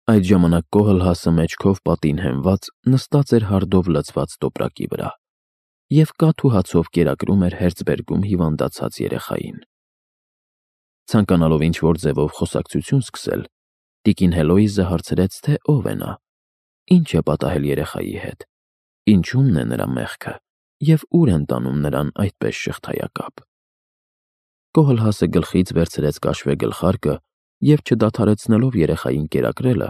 Այդ ժամանակ Կոհլհասը մեջքով պատին հենված նստած էր հարդով լցված տոպրակի վրա և կաթ ու հացով կերակրում էր Հերցբերգում հիվանդացած երեխային։ Ցանկանալով ինչ-որ ձևով խոսակցություն սկսել, տիկին Հելոիզը հարցրեց, թե ով է նա, ինչ է պատահել երեխայի հետ, ինչումն է նրա մեղքը և ուր են տանում նրան այդպես շղթայակապ։ Կոհլհասը գլխից վերցրեց կաշվե գլխարկը և, չդադարեցնելով երեխային կերակրելը,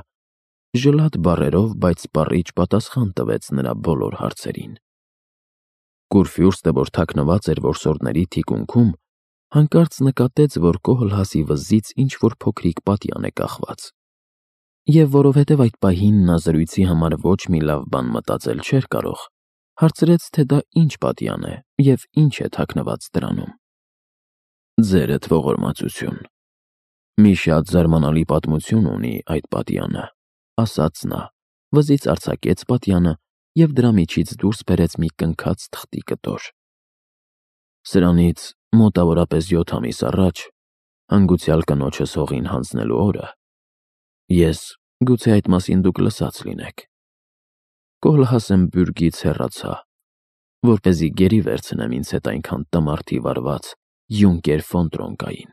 ժլատ բառերով, բայց սպառիչ պատասխան տվեց նրա բոլոր հարցերին։ Կուրֆյուրստը, որ թաքնված էր որսորդների թիկունքում, հանկարծ նկատեց, որ Կոհլհասի վզից ինչ-որ փոքրիկ պատյան է կախված, և որովհետև այդ պահին նա զրույցի համար ոչ մի լավ բան մտածել չէր կարող, հարցրեց, թե դա ինչ պատյան է և ինչ է թաքնված դրանում։ «Ձերդ ողորմածություն, մի շատ զարմանալի պատմություն ունի այդ պատյանը», ասաց նա, վզից արձակեց պատյանը և դրա միջից դուրս բերեց մի կնքած թղթի կտոր։ «Սրանից մոտավորապես 7 ամիս առաջ, հանգուցյալ կնոջս հողին հանձնելու օրը, գուցե այդ մասին դուք լսած լինեք, Կոհլհասեմ բյուրգից հեռացա, որպեսզի գերի վերցնեմ ինձ հետ այնքան տմարդի վարված Յունկեր ֆոն Տրոնկային,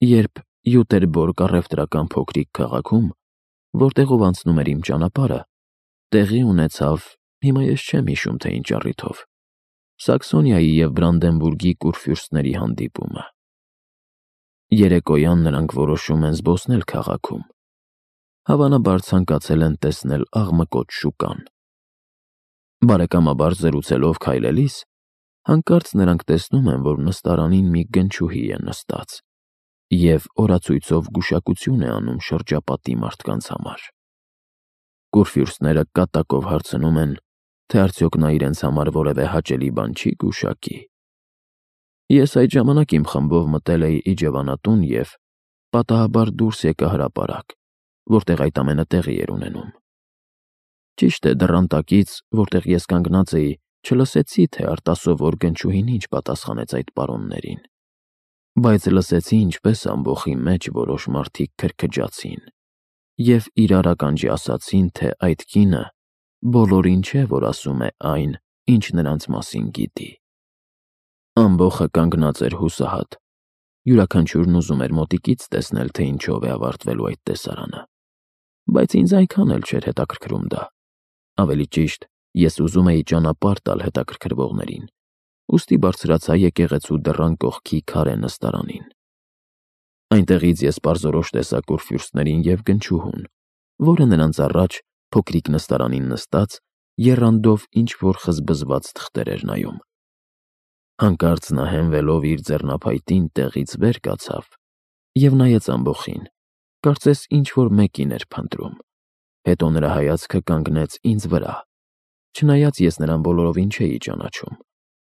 երբ Յուտերբորգ առևտրական փոքրիկ քաղաքում, որտեղով անցնում էր իմ ճանապարհը, տեղի ունեցավ, հիմա ես չեմ հիշում, թե ինչ առիթով, Սաքսոնիայի և Բրանդենբուրգի կուրֆյուրստների հանդիպումը։ Երեկոյան նրանք որոշում են զբոսնել քաղաքում, հավանաբար ցանկացել են տեսնել աղմկոտ շուկան։ Բարեկամաբար զրուցելով քայլելիս, հանկարծ նրանք տեսնում են, որ նստարանին մի գնչուհի է նստած և օրացույցով գուշակություն է անում շրջապատի մարդկանց համար։ Կուրֆյուրստները կատակով հարցնում են, թե արդյոք նա իրենց համար որևէ հաճելի բան չի գուշակի։ Ես այդ ժամանակ իմ խմբով մտել էի իջևանատուն և պատահաբար դուրս եկա հրապարակ, որտեղ այդ ամենը տեղի էր ունենում։ Ճիշտ է, դռան տակից, որտեղ ես կանգնած էի, չլսեցի, թե արտասովոր գնչուհին ինչ պատասխանեց այդ պարոններին, բայց լսեցի, ինչպես ամբոխի մեջ որոշ մարդիկ քրքջացին և իրար ականջի ասացին, թե այդ կինը բոլորին չէ, որ ասում է այն, ինչ նրանց մասին գիտի։ Ամբոխը կանգնած էր հուսահատ, յուրաքանչյուրն ուզում էր մոտիկից տեսնել, թե ինչով է ավարտվելու այդ տեսարանը, բայց ինձ այնքան էլ չէր հետաքրքրում դա։ Ավելի ճիշտ, ես ուզում էի ճանապարհ տալ հետաքրքրվողներին, ուստի բարձրացա եկեղեցու դռան կողքի քարե նստարանին։ Այնտեղից ես պարզորոշ տեսա կուրֆյուրստներին և գնչուհուն, որը նրանց առաջ փոքրիկ նստարանին նստած եռանդով ինչ-որ խզբզված թղթեր էր նայում։ Հանկարծ նա հենվելով իր ձեռնափայտին տեղից վեր կացավ և նայեց ամբոխին, կարծես ինչ-որ մեկին էր փնտրում, հետո նրա հայացքը կանգնեց ինձ վրա, չնայած ես նրան բոլորովին չէի ճանաչում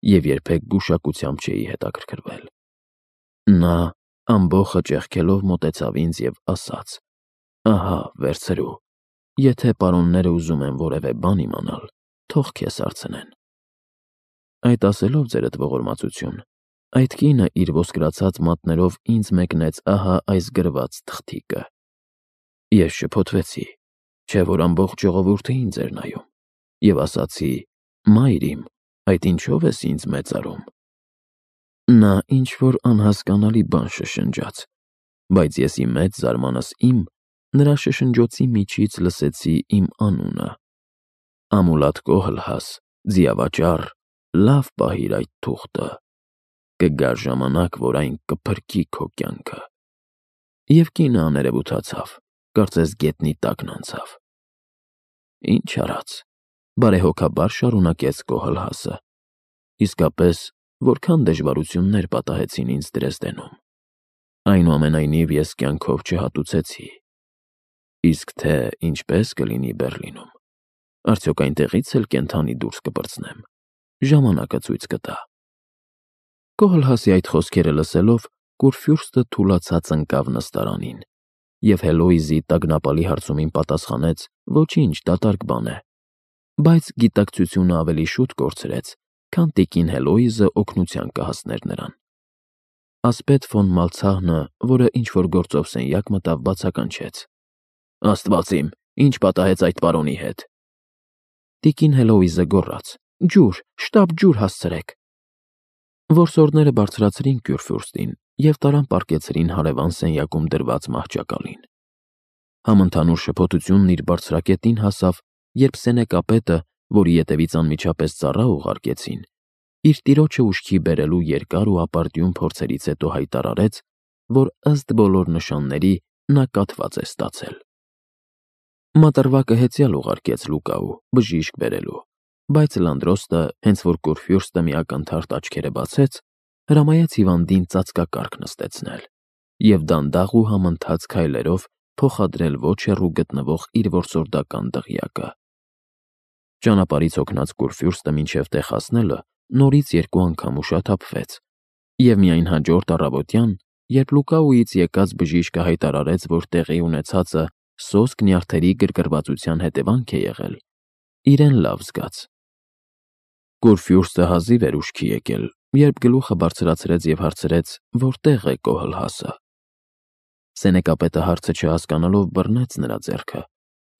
և երբեք գուշակությամբ չէի հետաքրքրվել։ Նա ամբոխը ճեղքելով մոտեցավ ինձ և ասաց. «Ահա, վերցրու, եթե պարոնները ուզում են որևէ բան իմանալ, թող քեզ հարցնեն»։ Այդ ասելով, ձերդ ողորմածություն, այդ կինը իր ոսկրացած մատներով ինձ մեկնեց ահա այս գրված թղթիկը։ Ես շփոթվեցի, չէ՞ որ ամբողջ ժողովուրդը ինձ էր նայում, և ասացի. «Մայր իմ, այդ ինչո՞վ ես ինձ մեծարում»։ Նա ինչ-որ անհասկանալի բան շշնջաց, բայց ես ի մեծ զարմանս իմ նրա շշնջոցի միջից լսեցի իմ անունը. «Ամուլատ Կոհլհաս, ձիավաճառ, լավ պահիր այդ թուղթը, կգա ժամանակ, որ այն կփրկի քո կյանքը»։ Եվ կինը աներևութացավ, կարծես գետնի տակն անցավ։ Ինչ արած, բարեհոգաբար շարունակեց Կոհլհասը, իսկապես, որքան դժվարություններ պատահեցին ինձ Դրեզդենում։ Այնուամենայնիվ ես կյանքով չհատուցեցի։ Իսկ թե ինչպես կլինի Բեռլինում, արդյոք այնտեղից էլ կենդանի դուրս կպրծնեմ, ժամանակը ցույց կտա։ Կոհլհասի այդ խոսքերը լսելով, Կուրֆյուրստը թուլացած ընկավ նստարանին և Հելոյզի տագնապալի հարցումին պատասխանեց. «Ոչինչ, դատարկ բան է», բայց գիտակցությունը ավելի շուտ կորցրեց, քան տիկին Հելոյզը օգնության կհասներ նրան։ Ասպետ ֆոն Մալցահնը, որը ինչ-որ գործով սենյակ մտավ, բացականչեց. Աստված իմ, ինչ պատահեց այդ պարոնի հետ։ Տիկին Հելոուիզը գոռաց. Ջուր, շտապ ջուր հասցրեք։ Որսորդները բարձրացրին Քյուրֆյուրստին և տարան պառկեցրին հարևան սենյակում դրված մահճակալին։ Համընդհանուր շփոթությունն իր բարձրակետին հասավ, երբ Սենեկապետը, որի ետևից անմիջապես ծառա ուղարկեցին, իր տիրոջը ուշքի բերելու երկար ու ապարդյուն փորձերից հետո հայտարարեց, որ ըստ բոլոր նշանների նա կաթված է ստացել։ Մատռվակը հեծյալ ուղարկեց Լուկաու բժիշկ բերելու, բայց Լանդրոստը, հենց որ Քուրֆյուրստը մի ակնթարթ աչքերը բացեց, հրամայեց հիվանդին ծածկակարգ նստեցնել և դանդաղ ու համընթաց քայլերով փոխադրել ոչ հեռու գտնվող իր որսորդական դղյակը։ Ճանապարհից հոգնած Քուրֆյուրստը մինչև տեղ հասնելը նորից 2 անգամ ուշաթափվեց, և միայն հաջորդ առավոտյան, երբ Լուկաուից եկած բժիշկը հայտարարեց, որ տեղի ունեցածը սոսկ նյարդերի գրգռվածության հետևանք է եղել, իրեն լավ զգաց։ Քուրֆյուրստը հազիվ էր ուշքի եկել, երբ գլուխը բարձրացրեց և հարցրեց, որտեղ է Կոհլհասը։ Սենեկապետը հարցը չհասկանալով բռնեց նրա ձեռքը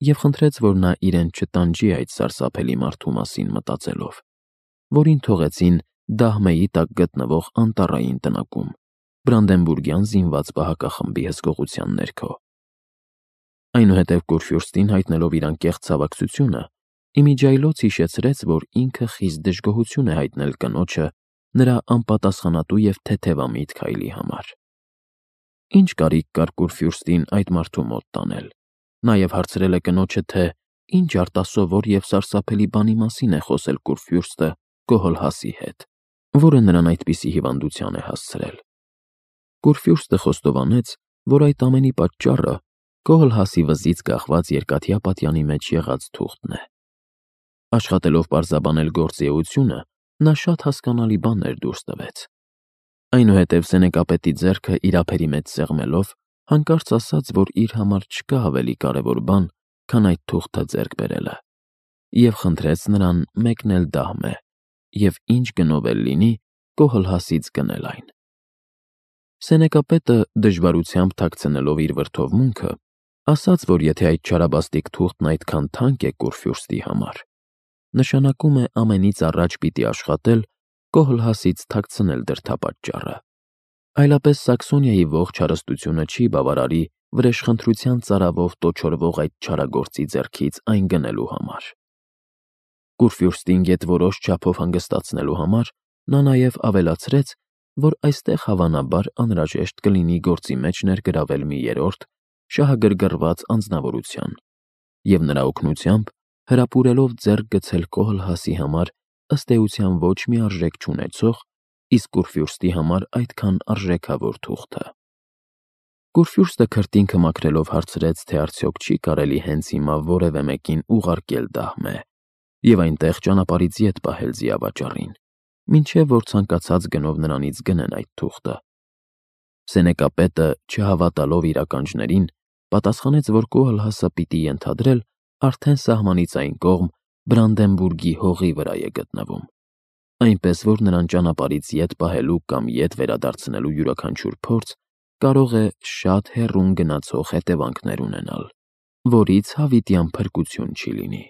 և խնդրեց, որ նա իրեն չտանջի այդ սարսափելի մարդու մասին մտածելով, որին թողեցին Դահմեի տակ գտնվող անտառային տնակում, Բրանդենբուրգյան զինված պահակախմբի հսկողության ներքո։ Այնուհետև Քուրֆյուրստին հայտնելով իր անկեղծ ցավակցությունը, իմիջիայլոց հիշեցրեց, որ ինքը խիստ դժգոհություն է հայտնել կնոջը նրա անպատասխանատու և թեթևամիտ քայլի համար։ Ինչ կարիք կար Քուրֆյուրստին այդ մարդու մոտ տանել։ Նաև հարցրել է կնոջը, թե ինչ արտասովոր և սարսափելի բանի մասին է խոսել Քուրֆյուրստը Կոհլհասի հետ, որը նրան այդպիսի հիվանդության է հասցրել։ Քուրֆյուրստը խոստովանեց, որ այդ ամենի պատճառը Կոհլհասի վզից կախված երկաթյա պատյանի մեջ եղած թուղթն է։ Աշխատելով պարզաբանել գործիեությունը, նա շատ հասկանալի բաներ դուրս տվեց։ Այնուհետև Սենեկապետի ձեռքը իր ափերի մեջ սեղմելով, հանկարծ ասաց, որ իր համար չկա ավելի կարևոր բան, քան այդ թուղթը ձեռք բերելը, և խնդրեց նրան մեկնել Դահմե և ինչ գնով էլ լինի Կոհլհասից գնել այն։ Սենեկապետը, դժվարությամբ թաքցնելով իր վրդովմունքը, ասաց, որ եթե այդ չարաբաստիկ թուղթն այդքան թանկ է Քուրֆյուրստի համար, նշանակում է ամենից առաջ պիտի աշխատել Կոհլհասից թաքցնել դրդապատճառը։ Այլապես Սաքսոնիայի ողջ հարստությունը չի բավարարի վրեժխնդրության ծարավով տոչորվող այդ չարագործի ձեռքից այն գնելու համար։ Քուրֆյուրստին գետորոշ չափով հանգստացնելու համար նա նաև ավելացրեց, որ այստեղ հավանաբար անհրաժեշտ կլինի գործի մեջ ներգրավել մի երրորդ, շահագրգռված անձնավորության և նրա օգնությամբ հրապուրելով ձեռք գցել Կոհլհասի համար ըստ էության ոչ մի արժեք չունեցող, իսկ Քուրֆյուրստի համար այդքան արժեքավոր թուղթը։ Քուրֆյուրստը քրտինքը մաքրելով հարցրեց, թե արդյոք չի կարելի հենց հիմա որևէ մեկին ուղարկել Դահմե և այնտեղ ճանապարհից ետ պահել ձիավաճառին, մինչև որ ցանկացած գնով նրանից գնեն այդ թուղթը։ Սենեկապետը, չհավատալով իր ականջներին, պատասխանեց, որ Կոհլհասը պիտի ենթադրել արդեն սահմանից այն կողմ Բրանդենբուրգի հողի վրա է գտնվում, այնպես որ նրան ճանապարհից ետ պահելու կամ ետ վերադարձնելու յուրաքանչյուր փորձ կարող է շատ հեռուն գնացող հետևանքներ ունենալ, որից հավիտյան փրկություն չի լինի։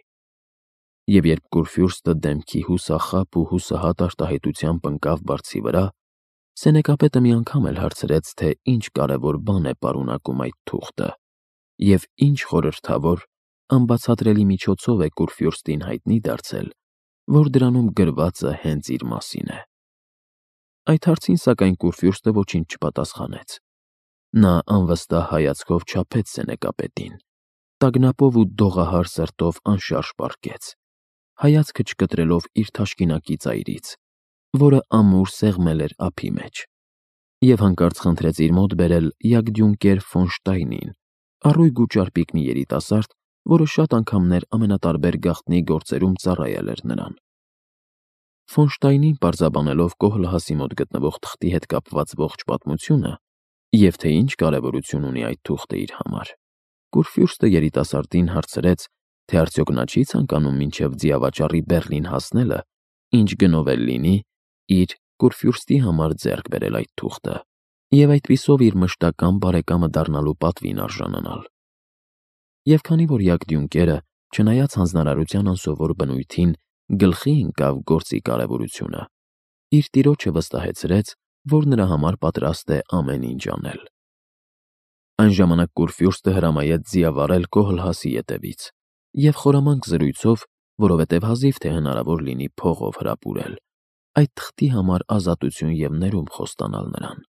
Եվ երբ Քուրֆյուրստը դեմքի հուսախաբ ու հուսահատ արտահայտությամբ ընկավ բարձի վրա, Սենեկապետը մի անգամ էլ հարցրեց, թե ինչ կարևոր բան է պարունակում այդ թուղթը և ինչ խորհրդավոր, անբացատրելի միջոցով է Քուրֆյուրստին հայտնի դարձել, որ դրանում գրվածը հենց իր մասին է։ Այդ հարցին, սակայն, Քուրֆյուրստը ոչինչ չպատասխանեց։ Նա անվստահ հայացքով չափեց Սենեկապետին, տագնապով ու դողահար սրտով անշարժ պառկեց, հայացքը չկտրելով իր թաշկինակի ծայրից, որը ամուր սեղմել էր ափի մեջ, և հանկարծ խնդրեց իր մոտ բերել Յագդյունկեր ֆոն Շտայնին, առույգ ու ճարպիկ մի երիտասարդ, որը շատ անգամներ ամենատարբեր գաղտնի գործերում ծառայել էր նրան։ Ֆոն Շտայնին պարզաբանելով Կոհլհասի մոտ գտնվող թղթի հետ կապված ողջ պատմությունը և թե ինչ կարևորություն ունի այդ թուղթը իր համար, Քուրֆյուրստը երիտասարդին հարցրեց, թե արդյոք նա չի ցանկանում մինչև ձիավաճառի Բեռլին հասնելը, ինչ գնով էլ լինի, իր Քուրֆյուրստի համար ձեռք բերել այդ թուղթը և այդպիսով իր մշտական բարեկամը դառնալու պատվին արժանանալ։ Եվ քանի որ Յագդյունկերը, չնայած հանձնարարության անսովոր բնույթին, գլխի ընկավ գործի կարևորությունը, իր տիրոջը վստահեցրեց, որ նրա համար պատրաստ է ամեն ինչ անել։ Այն ժամանակ Կուրֆյուրստը հրամայեց ձիավարել Կոհլհասի ետևից և խորամանկ զրույցով, որովհետև հազիվ թե հնարավոր լինի փողով հրապուրել, այդ թղթի համար ազատություն և ներում խոստանալ նրան։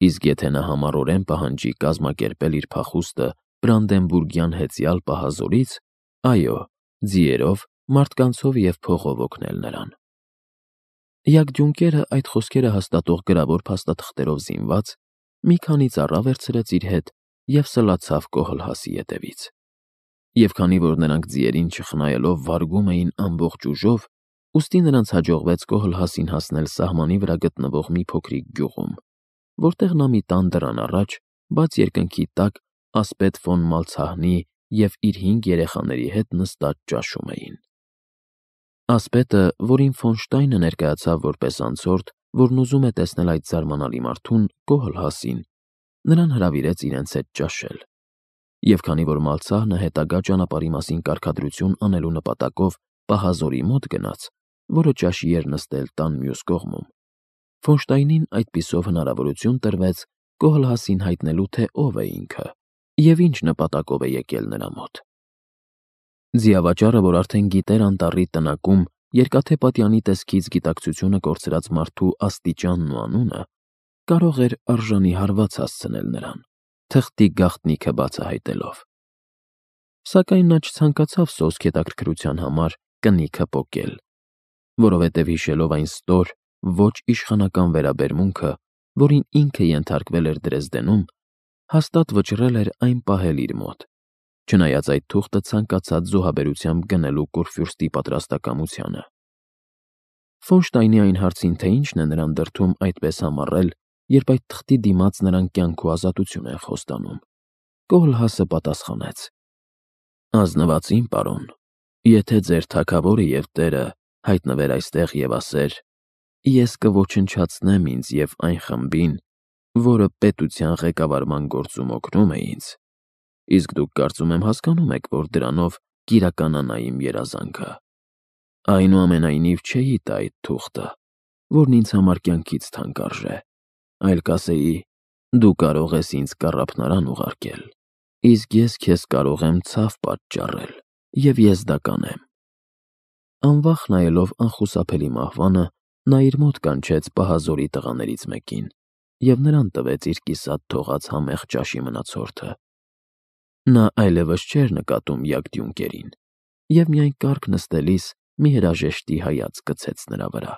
Իսկ եթե նա համառորեն պահանջի կազմակերպել իր փախուստը Բրանդենբուրգյան հեծյալ պահազորից, այո, ձիերով, մարդկանցով և փողով օգնել նրան։ Յագդյունկերը այդ խոսքերը հաստատող գրավոր փաստաթղթերով զինված մի քանի ծառա վերցրեց իր հետ և սլացավ Կոհլհասի ետևից։ Եվ քանի որ նրանք ձիերին չխնայելով վարգում էին ամբողջ ուժով, ուստի նրանց հաջողվեց Կոհլհասին հասնել սահմանի վրա գտնվող մի փոքրիկ գյուղում, որտեղ նա մի տան դռան առաջ, բաց երկնքի տակ ասպետ ֆոն Մալցահնի և իր 5 երեխաների հետ նստած ճաշում էին։ Ասպետը, որին Ֆոնշտայնը ներկայացավ որպես անցորդ, որն ուզում է տեսնել այդ զարմանալի մարդուն, Կոհլհասին, նրան հրավիրեց իրենց հետ ճաշել։ Եվ քանի որ Մալցահնը հետագա ճանապարհի մասին կարգադրություն անելու նպատակով պահազորի մոտ գնաց, որը ճաշի էր նստել տան մյուս կողմում, Ֆոնշտայնին այդպիսով հնարավորություն տրվեց Կոհլհասին հայտնելու, թե ով է ինքը և ինչ նպատակով է եկել նրա մոտ։ Ձիավաճառը, որ արդեն գիտեր անտառի տնակում երկաթե պատյանի տեսքից գիտակցությունը կորցրած մարդու աստիճանն ու անունը, կարող էր արժանի հարված հասցնել նրան, թղթի գաղտնիքը բացահայտելով։ Սակայն նա չցանկացավ սոսկ հետաքրքրության համար կնիքը պոկել, որովհետև հիշելով այն ստոր, ոչ իշխանական վերաբերմունքը, որին ինքը ենթարկվել էր Դրեզդենում, հաստատ վճռել էր այն պահել իր մոտ, չնայած այդ թուղթը ցանկացած զոհաբերությամբ գնելու Կուրֆյուրստի պատրաստակամությանը։ Ֆոնշտայնի այն հարցին, թե ինչն է նրան դրդում այդպես համառել, երբ այդ թղթի դիմաց նրան կյանք ու ազատություն են խոստանում, Կոհլհասը պատասխանեց. «Ազնվածին, պարոն, եթե ձեր թագավորը և տերը հայտնվեր այստեղ և ասեր. «Ես կոչնչացնեմ ինձ և այն խմբին, որը պետության ղեկավարման գործում օգնում է ինձ», իսկ դուք կարծում եմ հասկանում եք, որ դրանով կիրականանա իմ երազանքը։ Այնուամենայնիվ չէի տա այդ թուղթը, որն ինձ համար կյանքից թանկարժ է, այլ կասեի. «Դու կարող ես ինձ կառափնարան ուղարկել, իսկ ես քեզ կարող եմ ցավ պատճառել, և ես դա կանեմ»։ Անվախ նայելով անխուսափելի մահվանը, նա իր մոտ կանչեց պահազորի տղաներից մեկին և նրան տվեց իր կիսատ թողած համեղ ճաշի մնացորդը։ Նա այլևս չէր նկատում Յագդյունկերին և միայն կառք նստելիս մի հրաժեշտի հայացք գցեց նրա վրա։